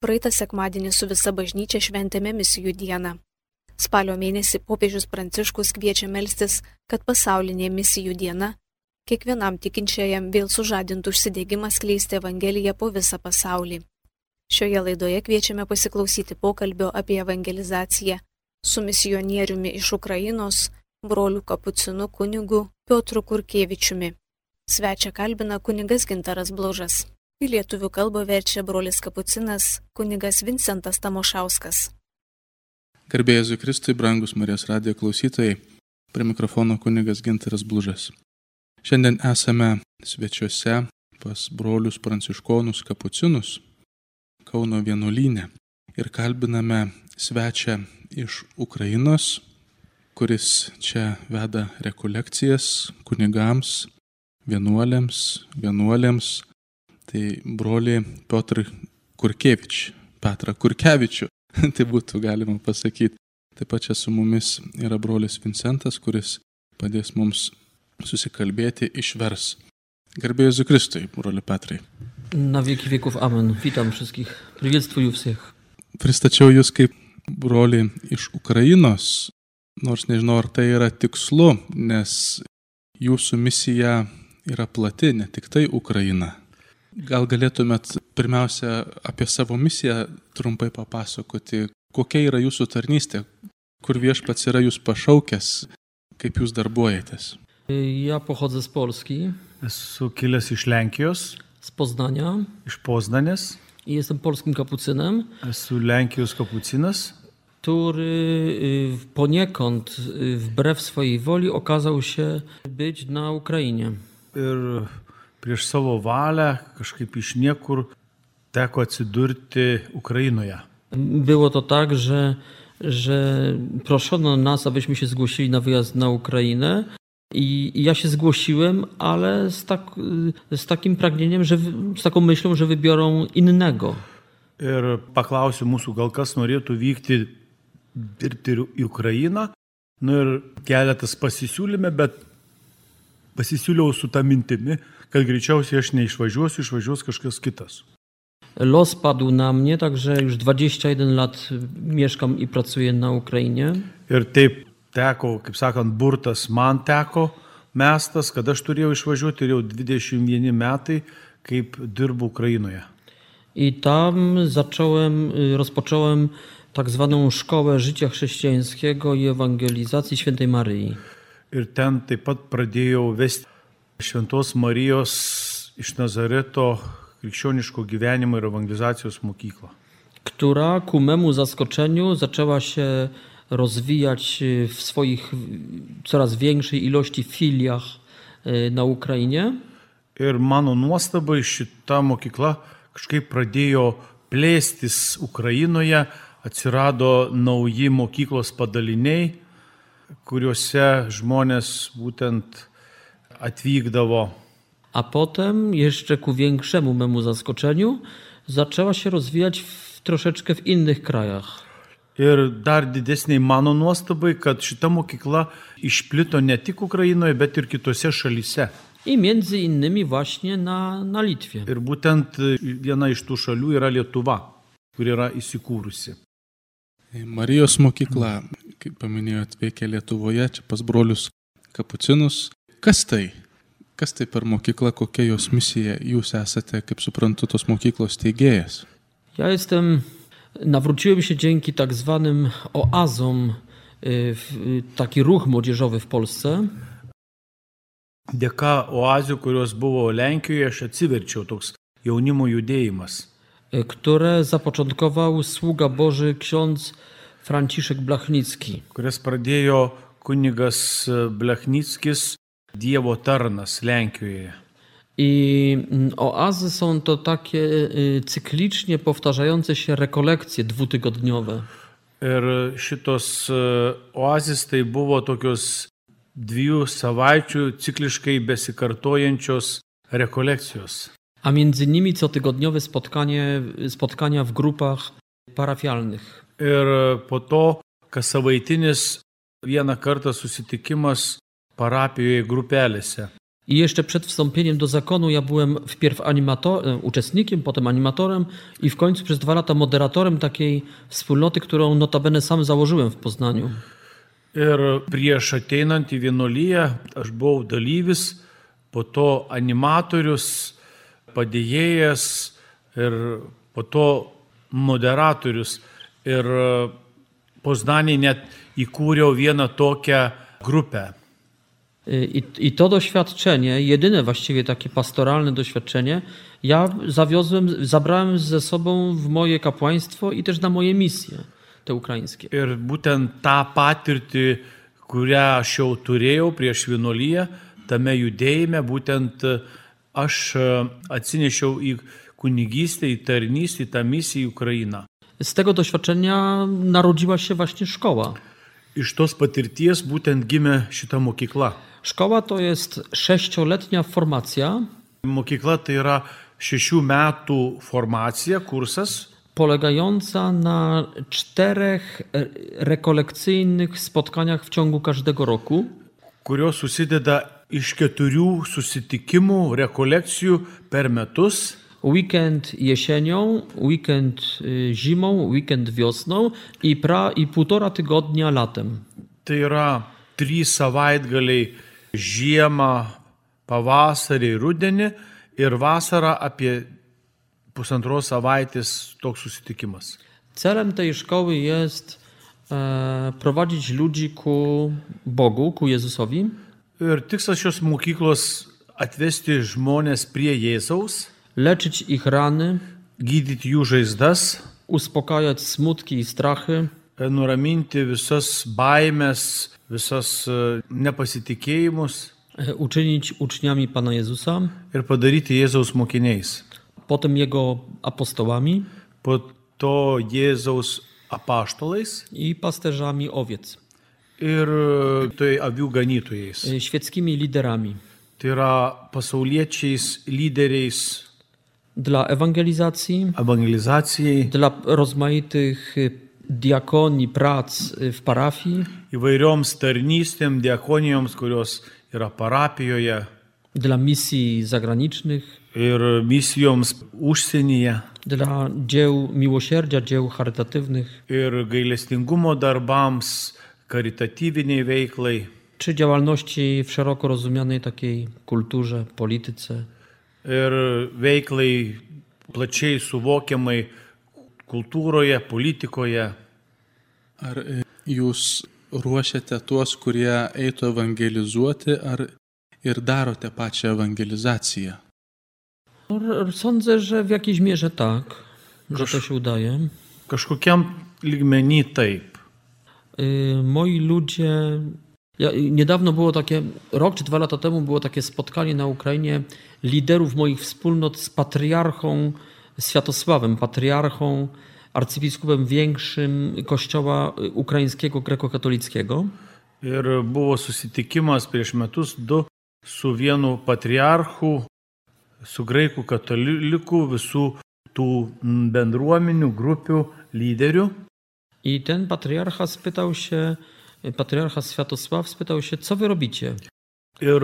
Praeitą sekmadienį su visa bažnyčia šventėme misijų dieną. Spalio mėnesį popiežius Pranciškus kviečia melstis, kad pasaulinė misijų diena kiekvienam tikinčiajam vėl sužadintų užsidegimą skleisti Evangeliją po visą pasaulį. Šioje laidoje kviečiame pasiklausyti pokalbio apie evangelizaciją su misionieriumi iš Ukrainos, broliu kapucinu kunigu Piotru Kurkevičiumi. Svečią kalbina kunigas Gintaras Blužas. Į lietuvių kalbą verčia brolis kapucinas kunigas Vincentas Tamošauskas. Garbė Jėzui Kristui, brangus Marijos radijo klausytojai, prie mikrofono kunigas Gintaras Blužas. Šiandien esame svečiuose pas brolius pranciškonus kapucinus Kauno vienuolyne ir kalbiname svečią iš Ukrainos, kuris čia veda rekolekcijas kunigams, vienuolėms, tai broli Piotr Petrą Kurkevičių, tai būtų galima pasakyti. Taip pat čia su mumis yra brolis Vincentas, kuris padės mums susikalbėti, išvers. Garbė Jėzui Kristui, broli Petrai. Na wieki wieków, amen. Witam wszystkich. Приветствую всех. Pristačiau jūs kaip broli iš Ukrainos, nors nežinau, ar tai yra tikslu, nes jūsų misija yra plati, ne tik tai Ukraina. Gal galėtumėt pirmiausia apie savo misiją trumpai papasakoti, kokia yra jūsų tarnystė, kur Viešpats yra jūs pašaukęs, kaip jūs darbuojatės? Ja pochodzę z Polski. Esu kilęs iš Lenkijos. Z Poznania. Iš Poznanės. I jestem polskim kapucynem. Esu Lenkijos kapucinas, który poniekąd wbrew swojej woli okazał się być na Ukrainie. Ir prieš savo valią kažkaip iš niekur teko atsidurti Ukrainoje. Było to tak, że proszono nas, abyśmy się zgłosili na wyjazd na Ukrainę. I ja się zgłosiłem, ale z takim pragnieniem, z taką myślą, że wybiorą innego. Ir paklausiu mūsų, gal kas norėtų vykti dirbti į Ukrainą. Ir keletas pasisiūlėme, bet pasisiūliau su tą mintimi, kad greičiausiai aš neišvažiuosiu, išvažiuos kažkas kitas. Los padł na mnie, także już 21 lat mieszkam i pracuję na Ukrainie. Ir taip teko, kaip sakant, burtas man teko mestas, kad aš turėjau išvažiuoti ir jau 21 metai, kaip dirbu Ukrainoje. I tam rozpocząłem tak zwaną Szkołę Życia Chrześcijańskiego i Ewangelizacji Świętej Maryi. Ir ten taip pat pradėjau vesti Šventos Marijos iš Nazareto krikščioniško gyvenimo ir evangelizacijos mokyklą. Która ku memu zaskoczeniu zaczęła się rozwijać w swoich coraz większej ilości filiach na Ukrainie. Ir mano nuostabai šita mokykla kažkaip pradėjo plėstis Ukrainoje, atsirado nauji mokyklos padaliniai, kuriuose żmonės būtent atvykdavo. A potem, jeszcze ku większemu memu zaskoczeniu, zaczęła się rozwijać troszeczkę w innych krajach. Ir dar didesniai mano nuostabai, kad šita mokykla išplito ne tik Ukrainoje, bet ir kitose šalyse. I między innymi właśnie na Litwie. Ir būtent viena iš tų šalių yra Lietuva, kur yra įsikūrusi. Marijos mokykla, kaip paminėjot, veikia Lietuvoje, čia pas brolius kapucinus. Kas tai? Kas tai per mokykla, kokia jos misija? Jūs esate, kaip suprantu, tos mokyklos steigėjas. Nawróciłem się dzięki tak zwanym oazom, taki ruch młodzieżowy w Polsce. Dėka oazių, kurios buvo Lenkijoje, aš atsiverčiau toks jaunimo judėjimas. Które zapoczątkował sługa Boży ksiądz Franciszek Blachnicki. Kurias pradėjo kunigas Blachnickis, Dievo tarnas Lenkijoje. I oazy są to takie cyklicznie powtarzające się rekolekcje dwutygodniowe. Ir šitos oazės tai buvo tokios 2 savaičių cikliškai besikartojančios rekolekcijos. A między nimi cotygodniowe spotkania w grupach parafialnych. Ir po to kas savaitinis vieną kartą susitikimas parapijoje grupelėse. I jeszcze przed wstąpieniem do zakonu ja byłem wpierw uczestnikiem, potem animatorem i w końcu przez 2 lata moderatorem takiej wspólnoty, którą notabene sam założyłem w Poznaniu. Ir prieš ateinant į vienuoliją aš buvau dalyvis, po to animatorius, padėjėjas ir po to moderatorius. Ir Poznanėje net įkūriau vieną tokią grupę. I to doświadczenie, jedyne właściwie takie pastoralne doświadczenie, ja zabrałem ze sobą w moje kapłaństwo i też na moje misje, te ukraińskie. Ir būtent tą patirtį, kurią aš jau turėjau prieš vienuoliją, tame judėjime, būtent aš atsinešiau į kunigystę, į tarnystę, į tą misiją į Ukrainą. Z tego doświadczenia narodziła się właśnie szkoła. Iš tos patirties būtent gimė šita mokykla. Szkoła to jest 6-letnia formacja. Mokykla tai yra 6 metų formacija, kursas, polegająca na 4 rekolekcyjnych spotkaniach w ciągu każdego roku. Kurios susideda iš 4 susitikimų, rekolekcijų per metus. Weekend jesienią, weekend zimą, weekend wiosną i 1,5 tygodnia latem. Tai yra 3 savaitgaliai žiemą, pavasarį, rudenį ir vasarą apie 1,5 savaitės toks susitikimas. Celem tej szkoły jest prowadzić ludzi ku Bogu, ku Jezusowi. Ir tikslas šios mokyklos atvesti žmonės prie Jėzaus, leczyć ich rany, gydyti jų žaizdas, uspokajać smutki i strachy, nuraminti visas baimės, visas nepasitikėjimus, uczynić uczniami Pana Jezusa ir padaryti Jėzaus mokiniais. Potem Jego apostołami, po to Jėzaus apaštalais i pasterzami owiec. Ir tai avių ganytojais. Świeckimi liderami. Tai yra pasauliečiais, lyderiais. Dla ewangelizacijai. Dla rozmaitych diakonii, prac w parafii. Įvairioms tarnystėm, diakonijoms, kurios yra parapijoje. Dla misji zagranicznych. Ir misijoms užsienyje. Dla dzieł miłosierdzia, dzieł charytatywnych. Ir gailestingumo darbams, karitatyviniai veiklai. Czy działalności w szeroko rozumianej takiej kulturze, polityce. Ir veiklai plačiai suvokiamai kultūroje, politikoje. Ar jūs ruošiate tuos, kurie eitų evangelizuoti, ar ir darote pačią ewangelizację? Sądzę, że w jakiejś mierze tak, że to się udaje. Kažkokiam lygmenį taip. Moi ludzie... Niedawno było takie, rok czy 2 lata temu było takie spotkanie na Ukrainie liderów moich wspólnot z patriarchą Światosławem, patriarchą, arcybiskupem większym Kościoła ukraińskiego grekokatolickiego. Ir buvo susitikimas prieš metus 2 su vienu patriarchu, su graikų katalikų, visų tų bendruomenių, grupių lyderių. I ten patriarcha Światosław spytał się, co wy robicie? Ir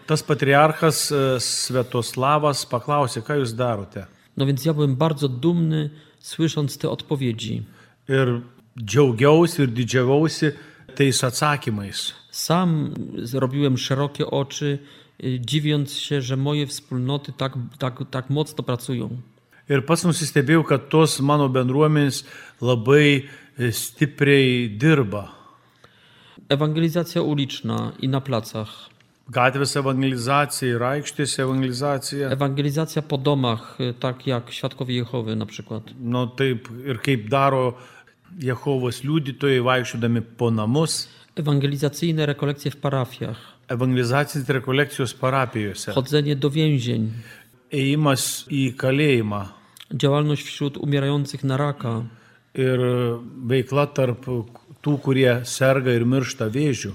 tas patriarchas Sviatoslavas paklausė, ką jūs darote. No więc ja byłem bardzo dumny, słysząc te odpowiedzi. Ir džiaugiausi ir didžiavausi tais atsakymais. Sam zrobiłem szerokie oczy, dziwiąc się, że moje wspólnoty tak mocno pracują. Ir pats nusistebėjau, kad tos mano bendruomenės labai stipriai dirba. Ewangelizacja uliczna i na placach. Gatvės ewangelizacija ir aikštės ewangelizacija. Ewangelizacja po domach, tak jak Świadkowie Jehowy na przykład. No taip ir kaip daro Jehovos liudytojai vaikščiodami po namus. Ewangelizacyjne rekolekcje w parafiach. Ewangelizacinės rekolekcijos parapijose. Chodzenie do więzień. Ėjimas į kalėjimą. Działalność wśród umierających na raka. Ir veikla tarp tų, kurie serga ir miršta vėžiu.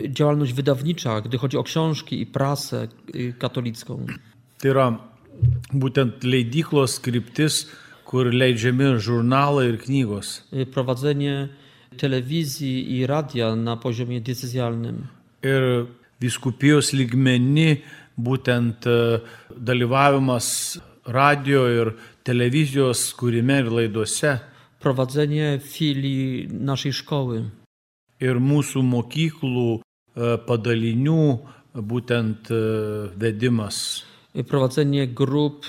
Działalność wydawnicza, gdy chodzi o książki i prasę katolicką. Tai yra būtent leidyklos kryptis, kur leidžiami žurnalai ir knygos. Prowadzenie telewizji i radia na poziomie decyzjalnym. Ir vyskupijos lygmeny, būtent dalyvavimas radio ir telewizijos kūrime ir laidose. Prowadzenie filii naszej szkoły. Ir mūsų mokyklų padalinių būtent vedimas. Prowadzenie grup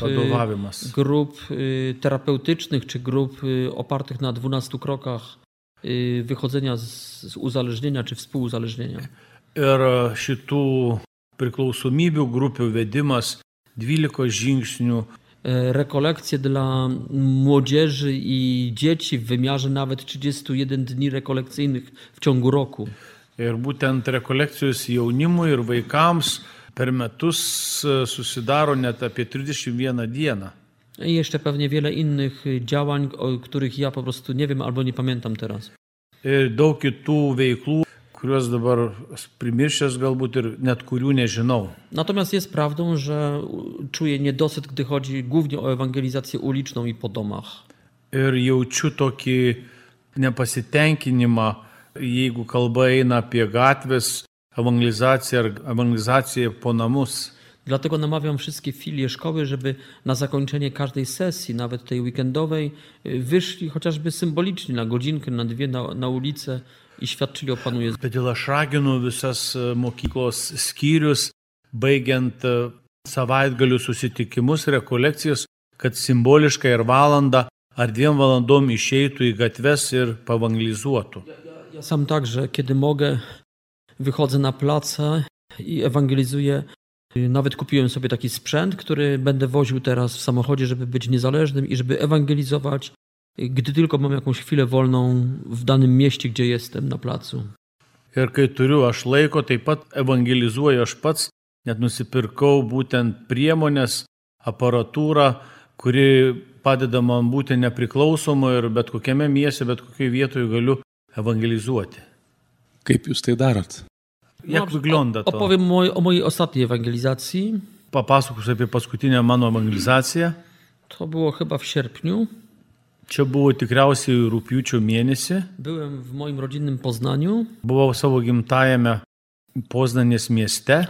terapeutycznych czy grup opartych na 12 krokach wychodzenia z uzależnienia czy współuzależnienia. Ir šitų priklausomybių grupių vedimas 12 žingsnių. Rekolekcje dla młodzieży i dzieci w wymiarze nawet 31 dni rekolekcyjnych w ciągu roku. Ir būtent rekolekcijos jaunimui ir vaikams per metus susidaro net apie 31 dieną. I jeszcze pewnie wiele innych działań, o których ja po prostu nie wiem albo nie pamiętam teraz. Ir daug kitų veiklų, kuriuos dabar primiršęs galbūt ir net kurių nežinau. Natomiast jest prawdą, że czuję niedosyt, gdy chodzi głównie o ewangelizację uliczną i po domach. Ir jaučiu tokį nepasitenkinimą, jeigu kalba eina apie gatvės ewangelizaciją ar ewangelizaciją po namus. Dlatego namawiam wszystkie filie szkoły, żeby na zakończenie każdej sesji, nawet tej weekendowej, wyszli chociażby symbolicznie na godzinkę, na dwie na ulicę i świadczyli o Panu Jezusie. Todėl aš raginu visas mokyklos skyrius, baigiant savaitgalių susitikimus, rekolekcijas, kad simboliškai ir valandą ar 2 valandom išeitų į gatves ir pavangelizuotų. Ja sam także, kiedy mogę, wychodzę na place i ewangelizuję. Nawet kupiłem sobie taki sprzęt, który będę woził teraz w samochodzie, żeby być niezależnym i żeby ewangelizować, gdy tylko mam jakąś chwilę wolną w danym mieście, gdzie jestem na placu. Ir kai turiu aš laiko, taip pat evangelizuoju aš pats, net nusipirkau būtent priemonės, aparatūrą, kuri padeda man būti nepriklausomu ir bet kokiame mieste, bet kokioje vietoje galiu ewangelizuoti. Kaip jūs tai darot? Jak wygląda to? Opowiem o mojej ostatniej ewangelizacji. Papasakosiu apie paskutinę mano evangelizaciją. To było chyba w sierpniu. Čia buvo tikriausiai rugpjūčio mėnesį. Byłem w moim rodzinnym Poznaniu. Buvau savo gimtajame Poznanės mieste.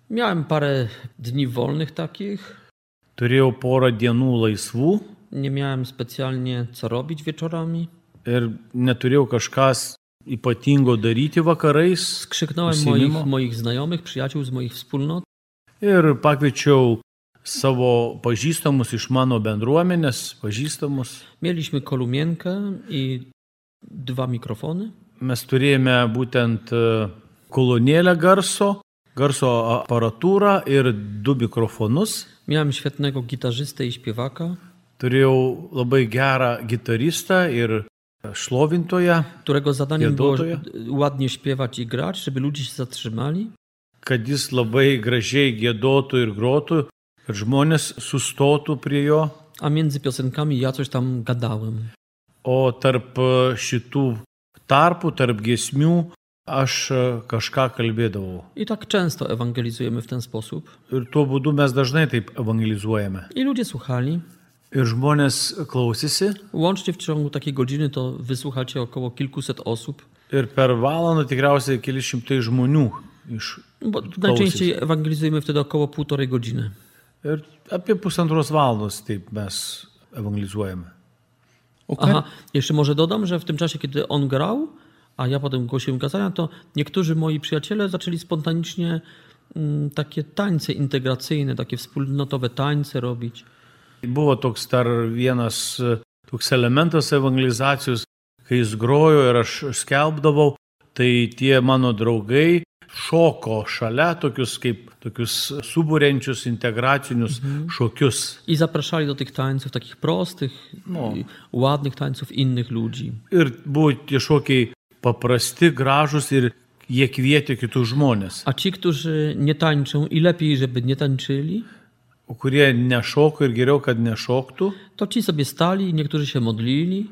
Miałem parę dni wolnych takich. Turėjau porą dienų laisvų. Nie miałem specjalnie co robić wieczorami. Ir neturėjau kažkas ypatingo daryti vakarais. Skrzyknąłem moich znajomych, przyjaciół z moich wspólnot. Ir pakviečiau savo pažįstamus iš mano bendruomenės, pažįstamus. Mieliśmy kolumienkę i 2 mikrofony. Mes turėjome būtent kolonėlę garso aparatūrą ir 2 mikrofonus. Miałem świetnego gitarzystę i śpiewaka. Turėjau labai gerą gitaristą ir šlovintoją, którego zadaniem było ładnie śpiewać i grać, żeby ludzie się zatrzymali. Kad jis labai gražiai giedotų ir grotų, kad žmonės sustotų prie jo. A między piosenkami ja coś tam gadałem. O tarp šitų tarpų, tarp giesmių, aš kažką kalbėdavau. I tak często ewangelizujemy w ten sposób. Ir tuo būdu mes dažnai taip evangelizuojame. I ludzie słuchali. Ir žmonės klausėsi. Łącznie w ciągu takiej godziny to wysłuchacie około kilkuset osób. Ir per valandą tikriausiai keli šimtai žmonių Bo najczęściej ewangelizujemy wtedy około 1,5 godziny. Ir apie 1,5 valandos taip mes evangelizuojame. Aha, jeszcze może dodam, że w tym czasie, kiedy on grał, a ja potem głosiłem kazania, to niektórzy moi przyjaciele zaczęli spontanicznie takie tańce integracyjne, takie wspólnotowe tańce robić. Buvo toks dar vienas toks elementas evangelizacijos, kai jis grojo ir aš skelbdavau, tai tie mano draugai šoko šalia tokius suburiančius integracinius šokius. I zapraszali do tych tańców, takich prostych, ładnych tańców innych ludzi. Ir buvo tie šokiai paprasti, gražus ir jie kvietė kitus žmonės. A ci, którzy nie tańczą i lepiej, żeby nie tańczyli, kurie nešoko ir geriau, kad nešoktų, to ci sobie stali i niektórzy się modlili.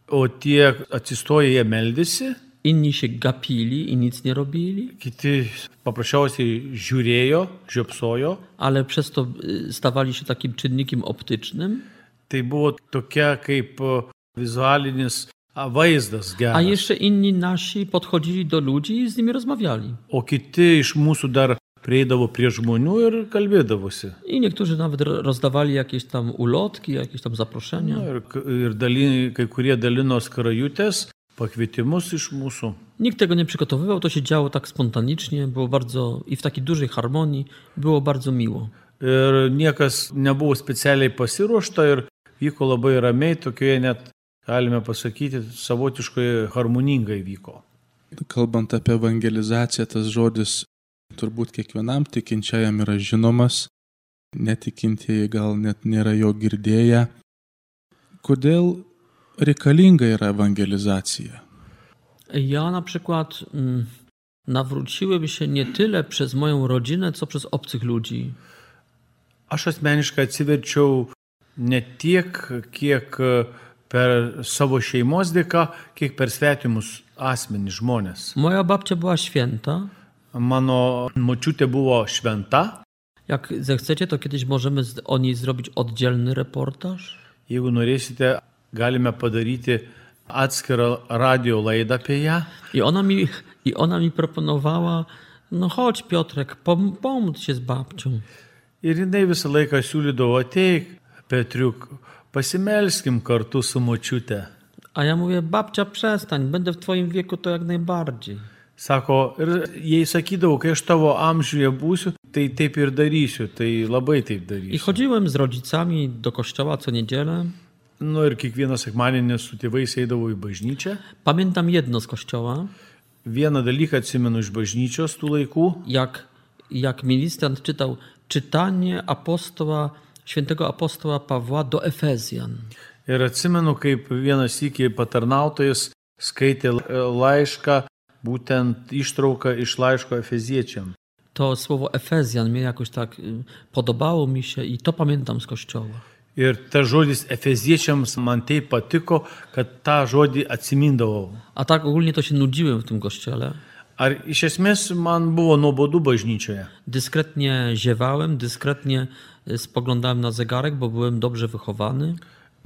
O tie atsistoję jie meldėsi. Inni się gapili i nic nie robili. Kiti paprasčiausiai žiūrėjo, žiopsojo. Ale przez to stawali się takim czynnikiem optycznym. Tai buvo tokia kaip vizualinis vaizdas A geras. jeszcze inni nasi podchodzili do ludzi i z nimi rozmawiali. O kiti iš mūsų dar prieidavo prie žmonių ir kalbėdavosi. I niektórzy nawet rozdawali jakieś tam ulotki, jakieś tam zaproszenia. Kai kurie dalino skrajutės, pakvietimus iš mūsų. Nikt tego nie przygotowywał, to się działo tak spontanicznie, było bardzo i w takiej dużej harmonii, było bardzo miło. Ir niekas nebuvo specialiai pasiruošta ir vyko labai ramiai, tokioje net, galime pasakyti, savotiškai harmoningai vyko. Kalbant apie evangelizaciją, tas žodis turbūt kiekvienam tikinčiajam yra žinomas, netikintieji gal net nėra jo girdėję. Kodėl reikalinga yra evangelizacija? Ja na przykład nawróciłem się nie tyle przez moją rodzinę, co przez obcych ludzi. Aš asmeniškai atsiverčiau ne tiek, kiek per savo šeimos dėka, kiek per svetimus asmenys žmonės. Moja babcia była święta. Mano močiutė buvo šventa. Jak zechcecie, to kiedyś możemy o niej zrobić oddzielny reportaż. Jeigu norėsite, galime padaryti atskirą radio laidą apie ją. I ona mi proponowała, no chodź Piotrek, pomódl się z babcią. Ir jinai visą laiką siūlydavo, ateik, Petriuk, pasimelskim kartu su močiute. A ja mówię, babcia przestań, będę w twoim wieku to jak najbardziej. Sako, ir jai sakydavau, kai aš tavo amžiuje būsiu, tai taip ir darysiu, tai labai taip darysiu. I chodziłem z rodzicami do kościoła co niedzielę. Nu ir kiekvieną sekmadienį su tėvais eidavau į bažnyčią. Pamiętam jedno z kościoła. Vieną dalyką atsimenu iš bažnyčios tų laikų. Jak ministrant czytał czytanie świętego apostoła Pawła do Efezjan. Ir atsimenu, kaip vienas sykį patarnautojas skaitė laišką, būtent ištrauką iš laiško Efeziečiam. To słowo Efezjan mnie jakoś tak podobało mi się i to pamiętam z kościoła. Ir ta žodis Efeziečiams man taip patiko, kad tą žodį atsimindavau. A tak ogólnie to się nudziłem w tym kościele. Ar iš esmės man buvo nuobodu bažnyčioje? Dyskretnie ziewałem, dyskretnie spoglądałem na zegarek, bo byłem dobrze wychowany.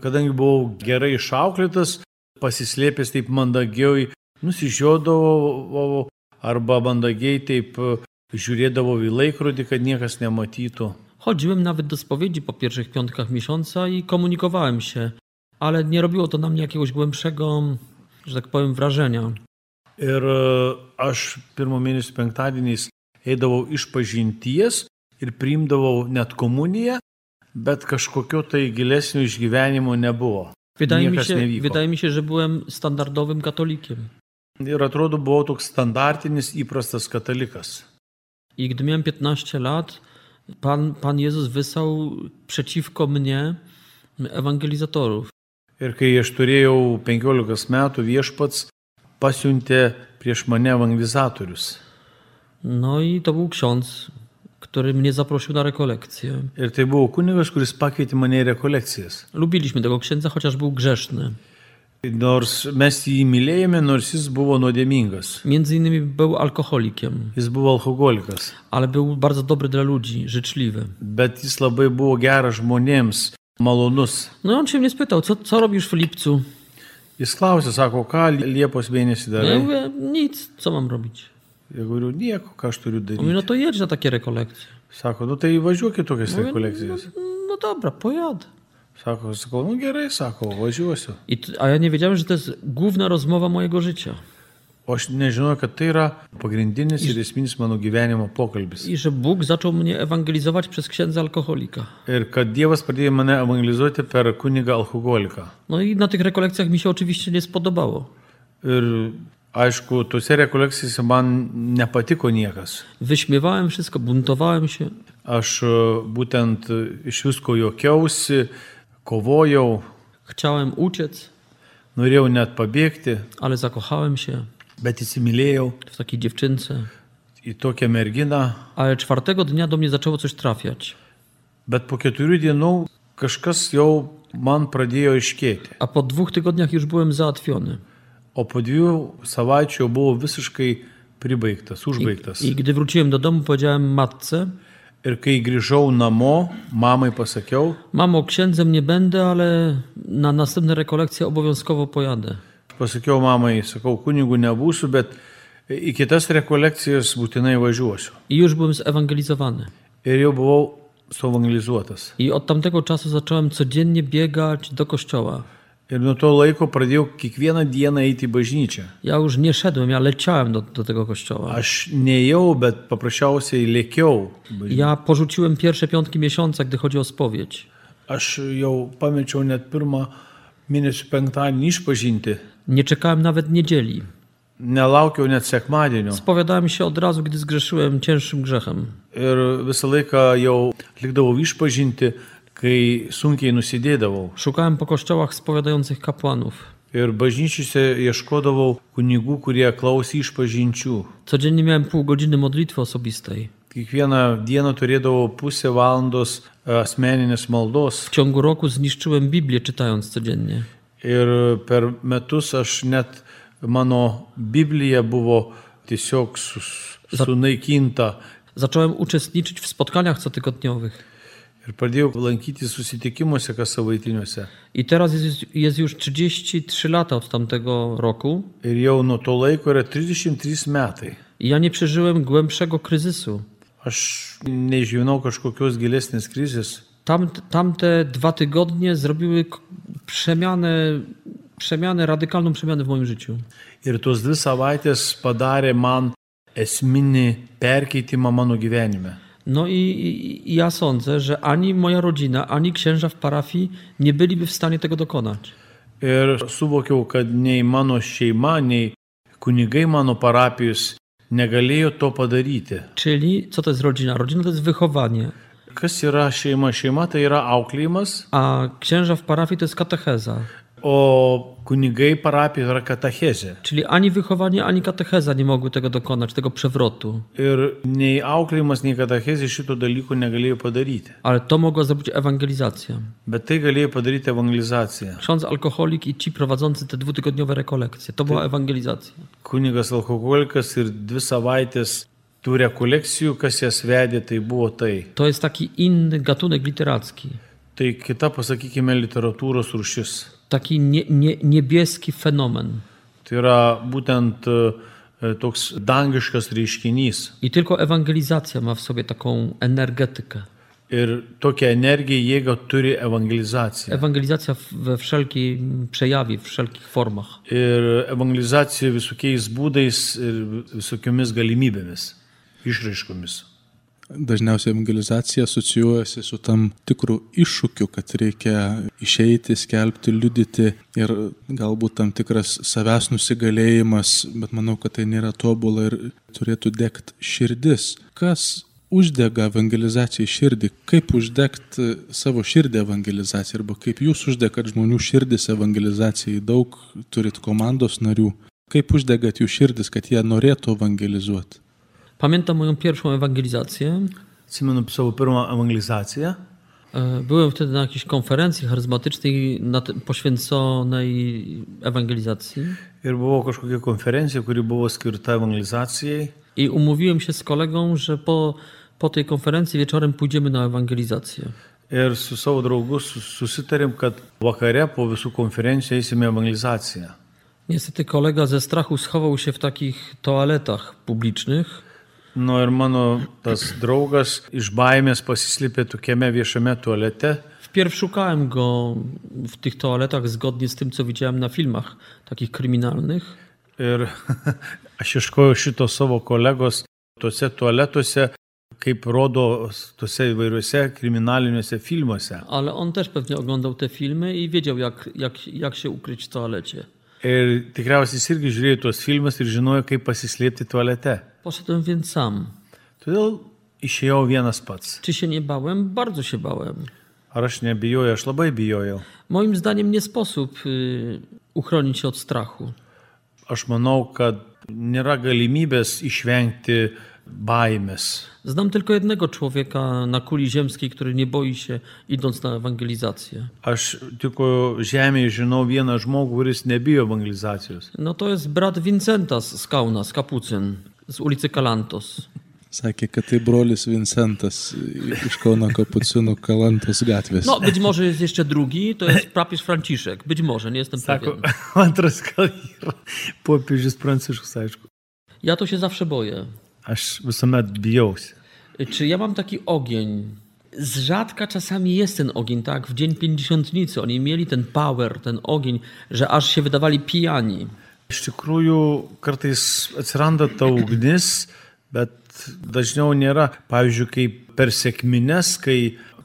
Kadangi buvau gerai išauklėtas, pasislėpęs taip mandagiai, nusižiodavau arba mandagiai taip žiūrėdavau į laikrodį, kad niekas nematytų. Chodziłem nawet do spowiedzi po pierwszych piątkach miesiąca i komunikowałem się, ale nie robiło to na mnie jakiegoś głębszego, że tak powiem, wrażenia. Ir aš pirmo mėnesio penktadieniais eidavau iš pažinties ir priimdavau net komuniją, bet kažkokio tai gilesnio išgyvenimo nebuvo. Wydaje mi się, że byłem standardowym katolikiem. Ir atrodo, buvau toks standartinis įprastas katalikas. I gdy miałem 15 lat, Pan Jezus wysłał przeciwko mnie ewangelizatorów. Ir kai aš turėjau 15 metų, viešpats pasiuntė prieš mane ewangelizatorius. No i to był ksiądz, który mnie zaprosił na rekolekcję. Ir tai buvo kunigas, kuris pakvietė mane į rekolekcijas. Lubiliśmy tego księdza, chociaż był grzeszny. Nors mes jį mylėjome, nors jis buvo nuodėmingas. Między innymi był alkoholikiem. Jis buvo alkoholikas. Ale był bardzo dobry dla ludzi, życzliwy. Bet jis labai buvo geras žmonėms, malonus. No i on się mnie spytał, co robisz w lipcu? Jis klausė, sako, ką Liepos mėnesį darai? Ja mówię, nic, co mam robić? Ja mówię, nieko, ką aš turiu daryti. Mówi, no to jedź na takie rekolekcje. Sako, no tai važiuok į tokias rekolekcijas. No dobra, pojadę. Sakau, no gerai, sako, važiuosiu. A ja nie wiedziałem, że to jest główna rozmowa mojego życia. O aš nežinau, kad tai yra pagrindinis ir esminis mano gyvenimo pokalbis. I że Bóg zaczął mnie ewangelizować przez księdza alkoholika. Ir kad Dievas pradėjo mane evangelizuoti per kunigą alkoholiką. No i na tych rekolekcjach mi się oczywiście nie spodobało. Ir aišku, tose rekolekcijose man nepatiko niekas. Wyśmiewałem wszystko, buntowałem się. Aš būtent iš visko juokiausi, kovojau. Chciałem uciec. Norėjau net pabėgti. Ale zakochałem się. Bet įsimylėjau. W takiej dziewczynce. Į tokią merginą. Ale 4 dnia do mnie zaczęło coś trafiać. Bet po 4 dienų kažkas jau man pradėjo aiškėti. A po 2 tygodniach już byłem załatwiony. O po 2 savaičių buvo visiškai pribaigtas, užbaigtas. I gdy wróciłem do domu, powiedziałem matce. Ir kai grįžau namo, mamai pasakiau. Mamo, księdzem nie będę, ale na następne rekolekcje obowiązkowo pojadę. pasakiau mamai, sakau, kunigų nebūsiu, bet į kitas rekolekcijas būtinai važiuosiu. I już byłem zewangelizowany. Ir jau buvau suevangelizuotas. I od tamtego czasu zacząłem codziennie biegać do kościoła. Ir nuo to laiko pradėjau kiekvieną dieną eiti į bažnyčią. Ja już nie szedłem, ja leciałem do tego kościoła. Aš neėjau, bet paprasčiausiai lėkiau. Ja porzuciłem pierwsze piątki miesiąca, gdy chodzi o spowiedź. Aš jau pamečiau net pirmą mėnesio penktadienį išpažinti. Nie czekałem nawet niedzieli. Nelaukiau net sekmadienio. Spowiadałem się od razu, gdy zgrzeszyłem cięższym grzechem. Ir visą laiką jau atlikdavau išpažinti, kai sunkiai nusidėdavau. Szukałem po kościołach spowiadających kapłanów. Ir bažnyčiose ieškodavau kunigų, kurie klausė išpažinčių. Codziennie miałem pół godziny modlitwy osobistej. Kiekvieną dieną turėdavau pusę valandos asmeninės maldos. W ciągu roku zniszczyłem Biblię, czytając codziennie. Ir per metus aš net mano Biblija buvo tiesiog sunaikinta. Zacząłem uczestniczyć w spotkaniach cotygodniowych. Ir pradėjau lankyti susitikimuose kassavaitiniuose. I teraz jest już 33 lata od tamtego roku. Ir jau nuo to laiko yra 33 metai. I ja nie przeżyłem głębszego kryzysu. Aš neišgyvenau kažkokios gilesnės krizės. Tamte 2 tygodnie zrobiły radykalną przemianę w moim życiu. Ir tos 2 savaitės padarė man esminį perkeitimą mano gyvenime. No i ja sądzę, że ani moja rodzina, ani księża w parafii nie byliby w stanie tego dokonać. Ir suvokiau, kad nei mano šeima, nei kunigai mano parapijos negalėjo to padaryti. Czyli co to jest rodzina? Rodzina to jest wychowanie. Kas yra šeima? Šeima tai yra auklėjimas, A księża w parafii to jest katecheza. o kunigai parapijoje yra katechezė. Czyli ani wychowanie, ani katecheza nie mogły tego dokonać, tego przewrotu. Ir nei auklėjimas, nei katechezė šito dalyko negalėjo padaryti. Ale to mogła zrobić ewangelizacja. Bet tai galėjo padaryti evangelizacija. Ksiądz alkoholik i ci prowadzący te 2-tygodniowe rekolekcje. To była ewangelizacja. Kunigas alkoholikas ir 2 savaitės tų rekolekcijų, kas jas vedė, tai buvo tai. To jest taki inny gatunek literacki. Tai kita, pasakykime, literatūros rūšis. Taki niebieski fenomen. Tai yra būtent toks dangiškas reiškinys. I tylko ewangelizacja ma w sobie taką energetykę. Ir tokią energiją, jėgą turi evangelizacija. Ewangelizacja we wszelkim przejawie, w wszelkich formach. Ir evangelizacija visokiais būdais ir visokiomis galimybėmis, išraiškomis. Dažniausiai evangelizacija asocijuojasi su tam tikru iššūkiu, kad reikia išeiti, skelbti, liudyti ir galbūt tam tikras savęs nusigalėjimas, bet manau, kad tai nėra tobula ir turėtų degti širdis. Kas uždega evangelizacijai širdį? Kaip uždegti savo širdį evangelizacijai? Arba kaip jūs uždegat žmonių širdis evangelizacijai? Daug turit komandos narių. Kaip uždegat jų širdis, kad jie norėtų evangelizuoti? Pamiętam moją pierwszą ewangelizację. Atsimenu savo pirmą evangelizaciją. Byłem wtedy na jakiejś konferencji charyzmatycznej poświęconej ewangelizacji. Ir buvo kažkokia konferencija, kuri buvo skirta evangelizacijai. I umówiłem się z kolegą, że po tej konferencji wieczorem pójdziemy na ewangelizację. Ir su savo draugu susitarėm, kad vakare po visų konferencijų eisime evangelizaciją. Niestety kolega ze strachu schował się w takich toaletach publicznych. No ir mano tas draugas iš baimės pasislėpė tokiame viešame tualete. Wpierw szukałem go w tych toaletach zgodnie z tym, co widziałem na filmach takich kryminalnych. Ir aš ieškojau šito savo kolegos tose tualetuose, kaip rodo tose įvairiuose kriminaliniuose filmuose. Ale on też pewnie oglądał te filmy i wiedział, jak się ukryć w toalecie. Ir tikriausiai jis irgi žiūrėjo tuos filmus ir žinojo, kaip pasislėpti tualete. Poszedłem więc sam. Todėl išėjau vienas pats. Czy się nie bałem? Bardzo się bałem. Ar aš nebijojau? Aš labai bijojau. Moim zdaniem nie sposób uchronić się od strachu. Aš manau, kad nėra galimybės išvengti baimės. Znam tylko jednego człowieka na kuli ziemskiej, który nie boi się idąc na ewangelizację. Aš tik žemėje žinau vieną žmogų, kuris nebijo evangelizacijos. No to jest brat Vincentas z Kaunas, kapucyn, z ulicy Kalantos. Sakė, kad tai brolis Vincentas iš Kauno Kapucinų Kalantos gatvės. No, być może jest jeszcze drugi, to jest papież Franciszek. Być może, nie jestem pewien. Antras gal yra popiežius Pranciškus, aišku. Ja to się zawsze boję. Aš visuomet bijausi. Czy ja mam taki ogień? Z rzadka czasami jest ten ogień, tak? W dzień Pięćdziesiątnicy oni mieli ten power, ten ogień, że aż się wydawali pijani. Iš tikrųjų, kartais atsiranda ta ugnis, bet dažniau nėra. Pavyzdžiui, kaip per sekmines,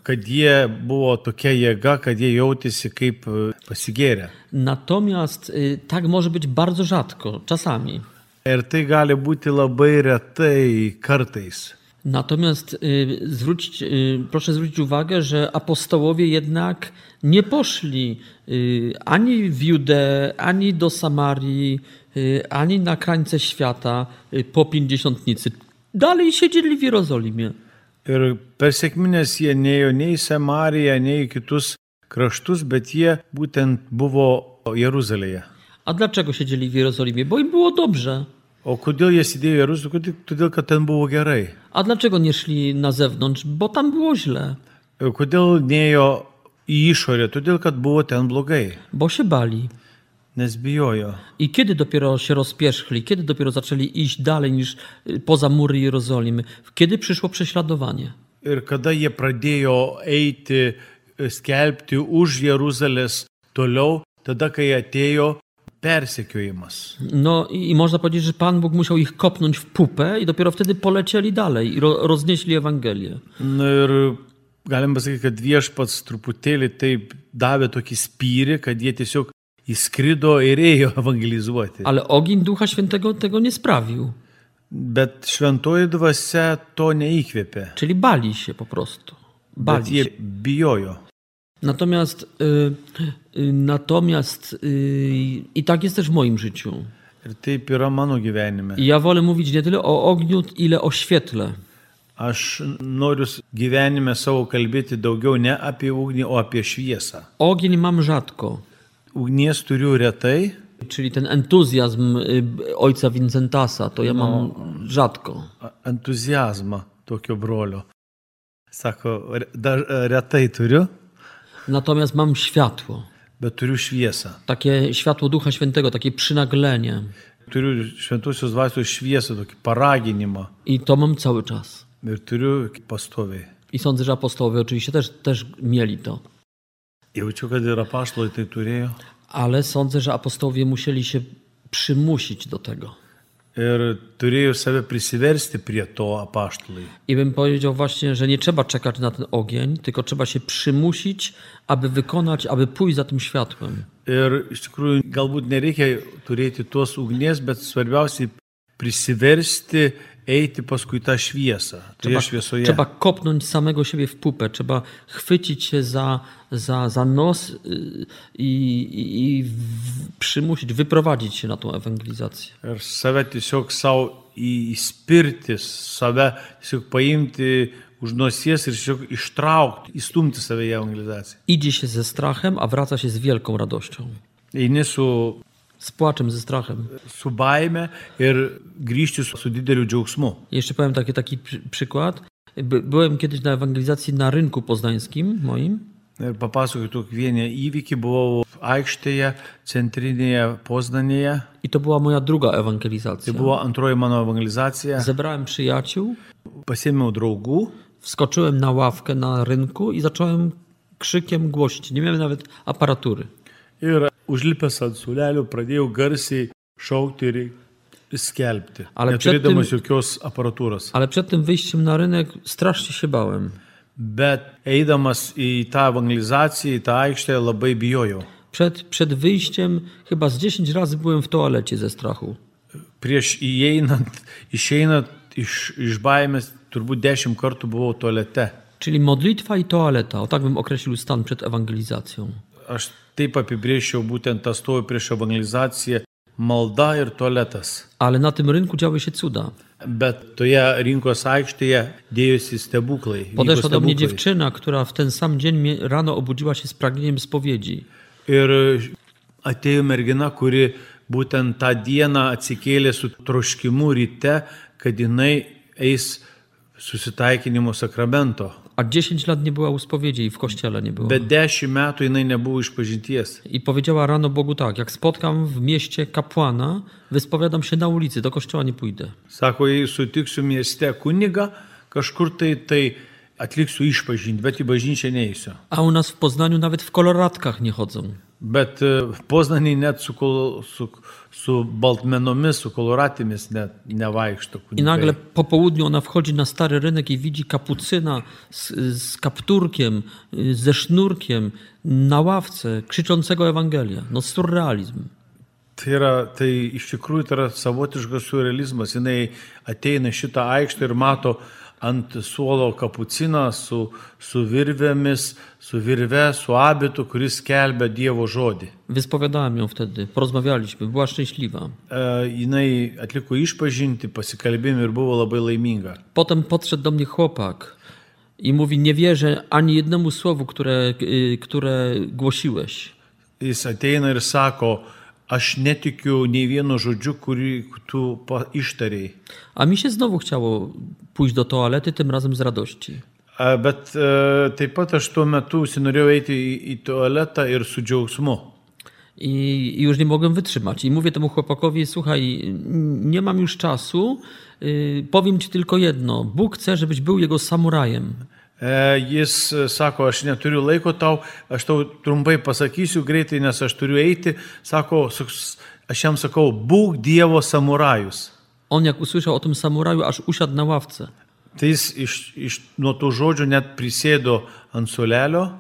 kad jie buvo tokia jėga, kad jie jautėsi kaip pasigėrę. Natomiast tak może być bardzo rzadko, czasami. Ir tai gali būti labai retai kartais. Natomiast proszę zwrócić uwagę, że apostołowie jednak nie poszli ani w Judeę, ani do Samarii, ani na krańce świata po Pięćdziesiątnicy. Dalej siedzieli w Jerozolimie. Ir per sekmines jie neėjo nei į Samariją, nei į kitus kraštus, bet jie būtent buvo Jeruzalėje. A dlaczego siedzieli w Jerozolimie? Bo im było dobrze. O kodėl jie sėdėjo Jeruzalėje? Todėl, kad ten buvo gerai. A dlaczego nie szli na zewnątrz? Bo tam było źle. Kodėl nėjo į išorę? Todėl, kad buvo ten blogai. Bo się bali. Nes bijojo. I kiedy dopiero się rozpierzchli? Kiedy dopiero zaczęli iść dalej niż poza mury Jerozolimy? Kiedy przyszło prześladowanie? Ir kada jie pradėjo eiti, skelbti už Jeruzalės toliau, tada, kai atėjo persekiojimas. No i można powiedzieć, że Pan Bóg musiał ich kopnąć w pupę i dopiero wtedy polecieli dalej i roznieśli Ewangelię. Na ir galim pasakyti, kad Viešpats truputėlį taip davė tokį spyrį, kad jie tiesiog įskrido ir ėjo evangelizuoti. Ale ogień Ducha Świętego tego nie sprawił. Bet šventoji dvasia to neįkvėpė. Czyli bali się po prostu. Bali Bet jie się. bijojo. Natomiast i tak jest też w moim życiu. Ir taip yra mano gyvenime. I ja wolę mówić nie tyle o ogniu, ile o świetle. Aš noriu gyvenime savo kalbėti daugiau ne apie ugnį, o apie šviesą. Ogień mam rzadko. Ugnies turiu retai. Czyli ten entuzjazm ojca Vincentasa, to ja mam rzadko. Entuzjazmą tokio brolio. Sako, retai turiu. Natomiast mam światło. Bet turiu šviesą. Takie światło Ducha Świętego, takie przynaglenie. Turiu šventosios dvasios šviesą, tokį paraginimą. I to mam cały czas. Ir turiu pastoviai. I sądzę, że apostołowie oczywiście też mieli to. Jaučiu, kad ir apaštalai tai turėjo. Ale sądzę, że apostołowie musieli się przymusić do tego. Ir turėjo save prisiversti prie to apaštalai. I bym powiedział właśnie, że nie trzeba czekać na ten ogień, tylko trzeba się przymusić, aby wykonać, aby pójść za tym światłem. Ir iš tikrųjų galbūt nereikia turėti tos ugnies, bet svarbiausiai prisiversti eiti paskui tą šviesą. Trzeba kopnąć samego siebie w pupę, trzeba chwycić się za nos i przymusić, wyprowadzić się na tą ewangelizację. Ir save tiesiog savo įspirti, save tiesiog paimti už nosies ir tiesiog ištraukti, įstumti save į evangelizaciją. Idzie się ze strachem, a wraca się z wielką radością. Eini z płaczem, ze strachem. Su baime ir grįžti su dideliu džiaugsmu. Jeszcze powiem taki przykład. Byłem kiedyś na ewangelizacji na rynku poznańskim moim. Ir papasakoju tokį vieną įvykį, buvau aikštėje, centrinėje Poznanėje. I to była moja druga ewangelizacja. Tai buvo antroji mano evangelizacija. Zebrałem przyjaciół. Pasiėmiau draugų. Wskoczyłem na ławkę na rynku i zacząłem krzykiem głosić. Nie miałem nawet aparatury. Ir užlipęs ant suolelio pradėjau garsiai šaukti ir skelbti, neturėdamas jokios aparatūros. Ale przed tym wyjściem na rynek strasznie się bałem. Bet eidamas į tą evangelizaciją, į tą aikštę labai bijojau. Przed wyjściem chyba z 10 razy byłem w toalecie ze strachu. Prieš išeinant iš baimės turbūt 10 kartų buvau toalete. Czyli modlitwa i toaleta, o tak bym określił stan przed ewangelizacją. Aš taip apibrėžčiau būtent tą stovi prieš evangelizaciją, malda ir tualetas. Ale na tym rynku działy się cuda. Bet toje rinkos aikštėje dėjosi stebuklai. Podeszła do mnie dziewczyna, która w ten sam dzień rano obudziła się z pragnieniem spowiedzi. Ir atėjo mergina, kuri būtent tą dieną atsikėlė su troškimu ryte, kad jinai eis susitaikinimo sakramento. A 10 lat nie była u spowiedzi i w kościele nie było. Bet 10 metų jinai nebuvo išpažinties. I powiedziała rano Bogu tak, jak spotkam w mieście kapłana, wyspowiadam się na ulicy, do kościoła nie pójdę. Sako, jei sutiksiu mieste kunigą, kažkur tai atliksiu išpažinti, bet į bažnyčią neįsiu. A u nas w Poznaniu nawet w koloratkach nie chodzą. Bet Poznanėj net su baltmenomis, su koloratėmis net nevaikšto I nagle kunigai. po południu ona wchodzi na stary rynek i widzi kapucyna z kapturkiem, ze sznurkiem na ławce, krzyczącego Ewangelia. No surrealizm. Tai iš tikrųjų tai yra savotiškas surrealizmas. Jinai ateina šitą aikštę ir mato ant suolo kapuciną su virvėmis, su virve, su abitu, kuris skelbia Dievo žodį. Wyspowiadałem ją wtedy, porozmawialiśmy, była szczęśliwa. Jinai atliko išpažinti, pasikalbėjimą ir buvo labai laiminga. Potem podszedł do mnie chłopak i mówi, nie wierzę ani jednemu słowu, które głosiłeś. Jis ateina ir sako, aš netikiu nei vieno žodžiu, kurį tu ištarėjai. A mi się znowu chciało pójść do toalety, tym razem z radości. Bet taip pat aš tuo metu norėjau eiti į tualetą ir su džiaugsmu. I już nie mogłem wytrzymać. I mówię temu chłopakowi, słuchaj, nie mam już czasu, powiem ci tylko jedno. Bóg chce, żebyś był jego samurajem. Jis sako, aš neturiu laiko tau, aš tau trumpai pasakysiu greitai, nes aš turiu eiti. Sako, aš jam sakau, būk Dievo samurajus. On jak usłyszał o tym samuraju, aż usiadł na ławce. Tai jis nuo tų žodžių net prisėdo ant suolelio.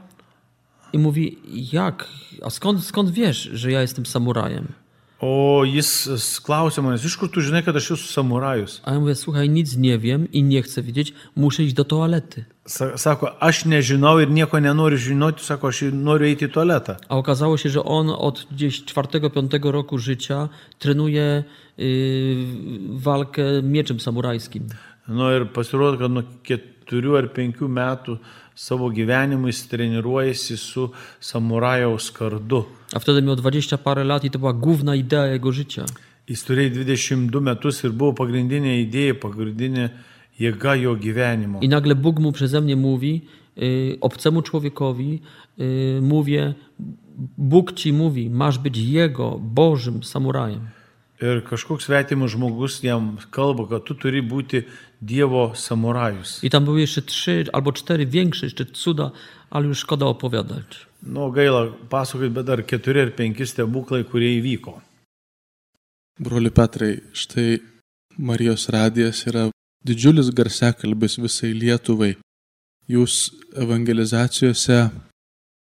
I mówi, jak? A skąd wiesz, że ja jestem samurajem? O jis klausė manęs, iš kur tu žinai, kad aš esu samurajus? A ja mówię, słuchaj, nic nie wiem i nie chcę wiedzieć, muszę iść do toalety. Sako, aš nežinau ir nieko nenoriu žinoti, sako, aš noriu eiti į tualetą. A okazało się, że on od gdzieś 4-5 roku życia trenuje walkę mieczem samurajskim. No ir pasirodo, kad nuo 4 ar 5 metų savo gyvenimu jis treniruojasi su samurajaus kardu. A wtedy miał 20 parę lat i to była główna idea jego życia. Jis turėjo 22 metus ir buvo pagrindinė idėja, pagrindinė jėga jo gyvenimo. I nagle Bóg mu przeze mnie mówi, obcemu człowiekowi, mówię, Bóg ci mówi, masz być jego, Bożym samurajem. Ir kažkoks svetimas žmogus jam kalba, kad tu turi būti Dievo samurajus. I tam były jeszcze 3 albo 4 większe jeszcze cuda, ale już szkoda opowiadać. No gaila pasakoti, bet dar 4 ar 5 stebuklai, kurie įvyko. Broli Petrai, štai Marijos radijas yra didžiulis garsiakalbis visai Lietuvai. Jūs evangelizacijose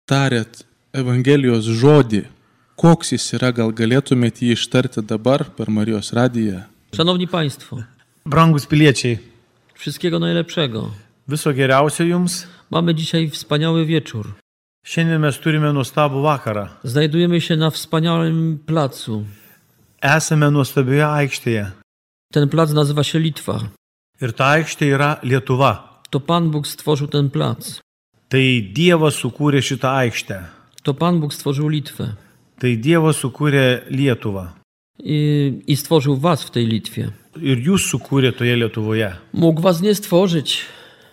tarėt Evangelijos žodį. Koks jis yra, gal galėtumėte jį ištarti dabar per Marijos radiją? Szanowni Państwo, Brangus piliečiai, wszystkiego najlepszego. viso geriausio jums. Mamy dzisiaj wspaniały wieczór. Šiandien mes turime nuostabų vakarą. Znajdujemy się na wspaniałym placu. Esame nuostabioje aikštėje. Ten plac nazywa się Litwa. Ir ta aikštė yra Lietuva. To Pan Bóg stworzył ten plac. Tai Dievas sukūrė šitą aikštę. To Pan Bóg stworzył Litwę. Tai Dievas sukūrė Lietuvą. I stworzył was w tej Litwie. Ir jūs sukūrė toje Lietuvoje. Mógł was nie stworzyć.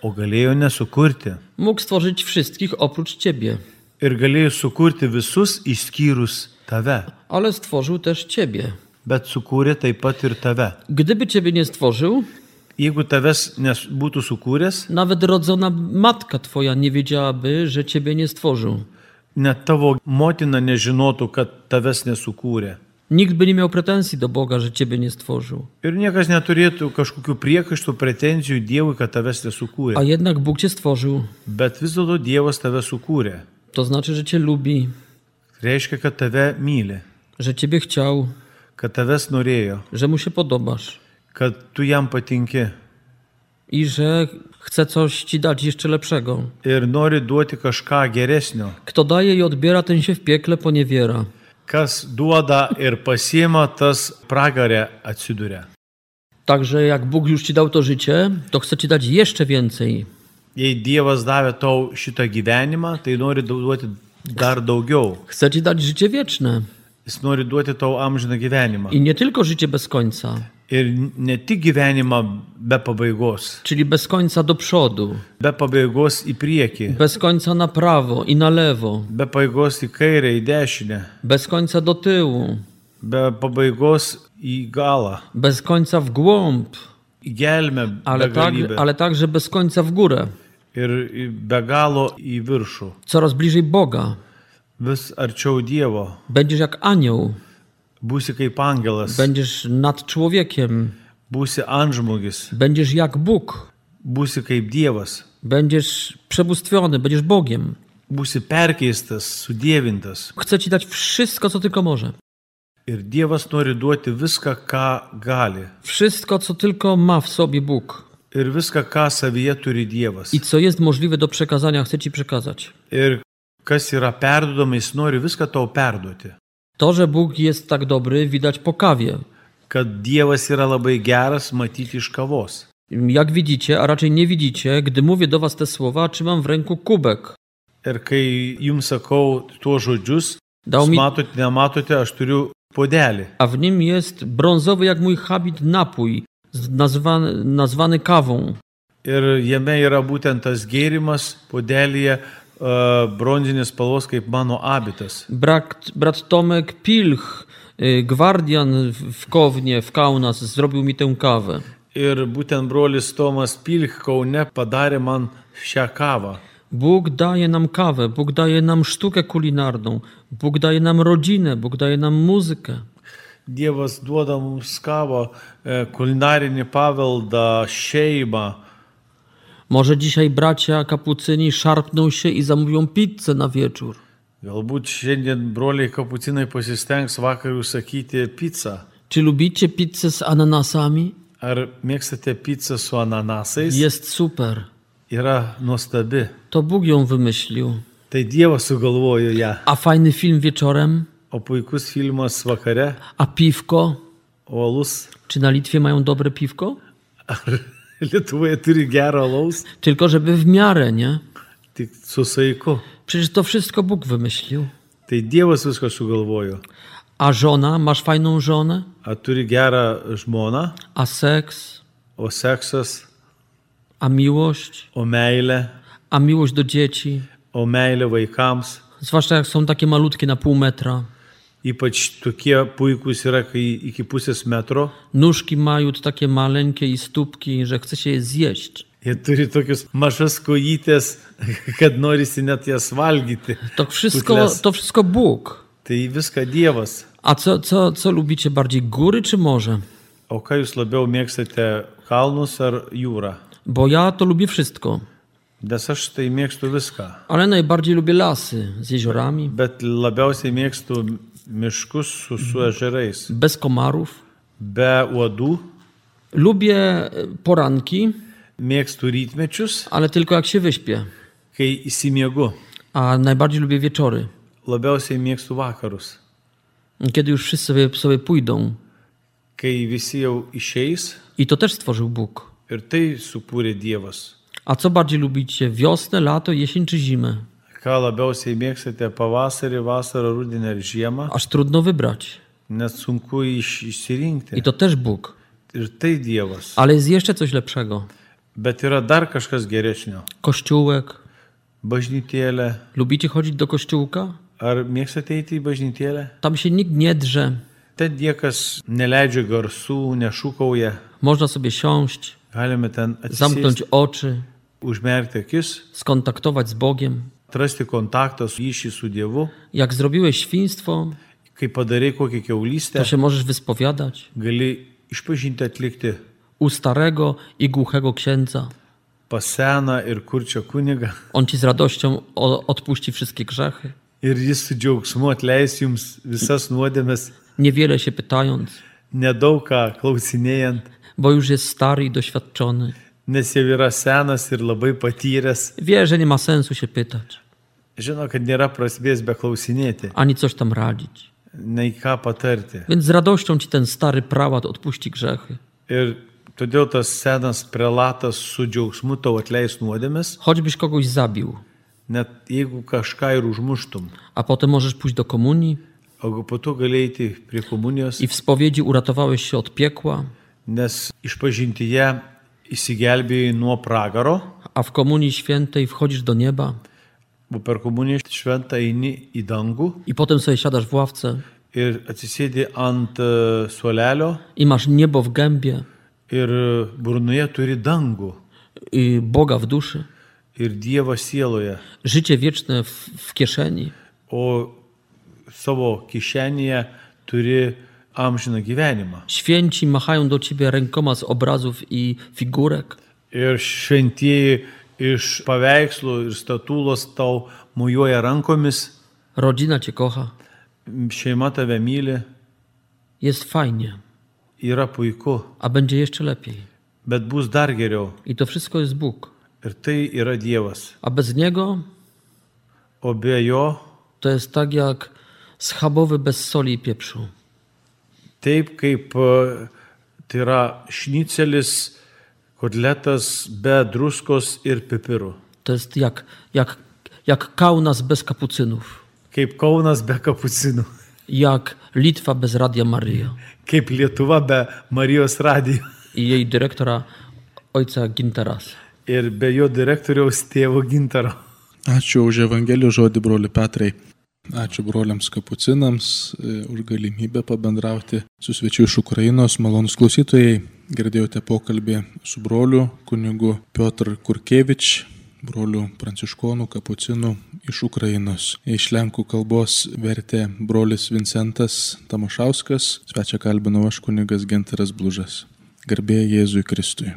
O galėjo nesukurti. Mógł stworzyć wszystkich oprócz ciebie. Ir galėjo sukurti visus išskyrus tave. Ale stworzył też ciebie. Bet sukūrė taip pat ir tave. Gdyby ciebie nie stworzył, Jeigu tavęs nebūtų sukūręs, nawet rodzona matka twoja nie wiedziałaby, że ciebie nie stworzył. net tavo motina nežinotų, kad tavęs nesukūrė. Nikt by nie miał pretensji do Boga, że ciebie nie stworzył. Ir niekas neturėtų kažkokių priekaištų, pretenzijų Dievui, kad tavęs nesukūrė. A jednak Bóg cię stworzył. Bet vis dėlto Dievas tave sukūrė. To znaczy, że cię lubi, Reiškia, kad tave myli, że ciebie chciał, kad tavęs norėjo, że mu się podobasz kad tu jam patinki i że chce coś ci dać jeszcze lepszego. ir nori duoti kažką geresnio. Kto daje i odbiera, ten się w piekle poniewiera. Kas duoda ir pasiema, tas pragarė atsiduria. Także jak Bóg już ci dał to życie, to chce ci dać jeszcze więcej. Jei Dievas davė tau šitą gyvenimą, tai nori duoti dar daugiau. Chce ci dać życie wieczne. Jis nori duoti tau amžiną gyvenimą. I nie tylko życie bez końca, Ir ne tik gyvenimą be pabaigos, czyli bez końca do przodu, be pabaigos į priekį, bez końca na prawo i na lewo, be pabaigos į kairę, į dešinę, bez końca do tyłu, be pabaigos į galą, bez końca w głąb, į gelmę, begalybę ale także bez końca w górę, ir be galo į viršų. coraz bliżej Boga. Vis arčiau Dievo. Będziesz jak anioł, Būsi kaip angelas, będziesz nad człowiekiem, būsi antžmogis, będziesz jak Bóg, būsi kaip Dievas, będziesz przebóstwiony, będziesz Bogiem. būsi perkeistas, sudievintas. Chce ci dać wszystko, co tylko może. Ir Dievas nori duoti viską, ką gali. Wszystko, co tylko ma w sobie Bóg Ir viską, ką savyje turi Dievas. i co jest możliwe do przekazania, chce ci przekazać. Ir kas yra perdodama, jis nori viską tau perduoti. To, że Bóg jest tak dobry, widać po kawie. Kad Dievas yra labai geras, matyti iš kavos. Jak widzicie, a raczej nie widzicie, gdy mówię do was te słowa, trzymam w ręku kubek. Ir kai jums sakau tuos žodžius, Dał mi, matote, nematote, aš turiu puodelį. a w nim jest brązowy jak mój habit napój, nazwany kawą. Ir jame yra būtent tas gėrimas, puodelyje bronzinis spalvos kaip mano abitas. Brat Tomek Pilch, gwardian w Kownie, w Kaunas, zrobił mi tę kawę. Ir būtent brolis Tomas Pilch Kaune padarė man šią kavą. Bóg daje nam kawę, Bóg daje nam sztukę kulinarną, Bóg daje nam rodzinę, Bóg daje nam muzykę. Dievas duoda mums kavą, kulinarinį paveldą, šeimą. Może dzisiaj bracia kapucyni szarpną się i zamówią pizzę na wieczór. Galbūt šiandien broliai kapucinai pasistengs vakar užsakyti pizzą. Czy lubicie pizzę z ananasami? Ar mėgstate pizzą su ananasais? Jest super. Yra nuostabi. To Bóg ją wymyślił. Tai Dievas sugalvojo ją. A fajny film wieczorem? O puikus filmas vakare? A piwko? O alus? Czy na Litwie mają dobre piwko? Ar Lietuvoje turi gerą alaus? Tylko żeby w miarę, nie? Tik su saiku. Przecież to wszystko Bóg wymyślił. Tai Dievas viską sugalvojo. A żona? Masz fajną żonę? A turi gerą žmoną? A seks? O seksas? A miłość? O meilė? A miłość do dzieci? O meilė vaikams? Zwłaszcza jak są takie malutkie na pół metra. Ypač tokie puikus yra, kai iki pusės metro. Nóżki mają takie maleńkie i stópki, że chce się je zjeść. Jie turi tokius mažas kojytės, kad norisi net jas valgyti. To wszystko Bóg. Tai viską Dievas. A co lubicie bardziej, góry czy morze? O ką jūs labiau mėgstate, kalnus ar jūrą? Bo ja to lubię wszystko. Nes aš tai mėgstu viską. Ale najbardziej lubię lasy z jeziorami. Bet labiausiai mėgstu miškus su ežerais. Bez komarów. Be uodų. Lubię poranki. Mėgstu rytmečius. Ale tylko jak się wyśpię. Kai įsimiegu. A najbardziej lubię wieczory. Labiausiai mėgstu vakarus. Kiedy już wszyscy sobie pójdą. Kai visi jau išeis. I to też stworzył Bóg. Ir tai sukūrė Dievas. A co bardziej lubicie? Wiosnę, lato, jesień czy zimę? Ką labiausiai mėgstate, pavasarį, vasarą, rudenį ar žiemą? Aż trudno wybrać. Net sunku išsirinkti. I to też Bóg. Ir tai Dievas. Ale jest jeszcze coś lepszego. Bet yra dar kažkas geresnio. Kościółek. Bažnytėlė. Lubicie chodzić do kościółka? Ar mėgstate eiti į bažnytėlę? Tam się nikt nie drze. Ten niekas neleidžia garsų, nešūkauja. Można sobie siąść, Galime ten zamknąć oczy, užmerkti akis, skontaktować z Bogiem. atrasti kontaktą ryšį su Dievu. Jak zrobiłeś świństwo, Kai padarai kokią to kiaulystę, się możesz wyspowiadać gali išpažinti atlikti u starego i głuchego księdza. pas seną ir kurčio kunigą. On ci z radością odpuści wszystkie grzechy, Ir jis su džiaugsmu atleis jums visas nuodėmes, niewiele się pytając, nedaug ką klausinėjant, bo już jest stary i doświadczony. nes jau yra senas ir labai patyręs. Wie, że nie ma sensu się pytać, Žino, kad nėra prasmės be klausinėti, ani coś tam radzić. nei ką patarti. Więc z radością ci ten stary prałat odpuści grzechy. Ir todėl tas senas prelatas su džiaugsmu tau atleis nuodėmes, Choćbyś kogoś zabił, net jeigu kažką ir užmuštum. a potem możesz pójść do komunii O po to gali eiti prie komunijos i w spowiedzi uratowałeś się od piekła, nes išpažintyje įsigelbėjai nuo pragaro, a w Komunii Świętej wchodzisz do nieba o per komuniją šventą eini į dangų i potem sobie siadasz w ławce ir atsisėdi ant suolelio i masz niebo w gębie ir burnoje turi dangų i Boga w duszy, ir Dievą sieloje, życie wieczne w kieszeni. o savo kišenėje turi amžiną gyvenimą. Święci machają do ciebie rękoma z obrazów i figurek. Ir šventieji iš paveikslų ir statulos tau mojuoja rankomis, Rodzina cię kocha. šeima tave myli, Jest fajnie, yra puiku, a będzie jeszcze lepiej. bet bus dar geriau. I to wszystko jest Bóg. Ir tai yra Dievas. A bez Niego O be jo, to jest tak jak schabowy bez soli i pieprzu. taip kaip tai yra šnicelis, kotletas be druskos ir pipirų. To jest jak Kaunas bez kapucynów. Kaip Kaunas be kapucinų. Jak Litwa bez Radia Maryja. Kaip Lietuva be Marijos radijo. I jej dyrektora ojca Ginterasa. Ir be jo direktoriaus tėvo Gintaro. Ačiū už Evangelijos žodį, broli Petrai. Ačiū broliams kapucinams už galimybę pabendrauti su svečiu iš Ukrainos. Malonus klausytojai, girdėjote pokalbį su broliu kunigu Piotr Kurkevič, broliu pranciškonų kapucinų iš Ukrainos. Iš lenkų kalbos vertė brolis Vincentas Tamošauskas, svečią kalbinau aš kunigas Gintaras Blužas. Garbė Jėzui Kristui.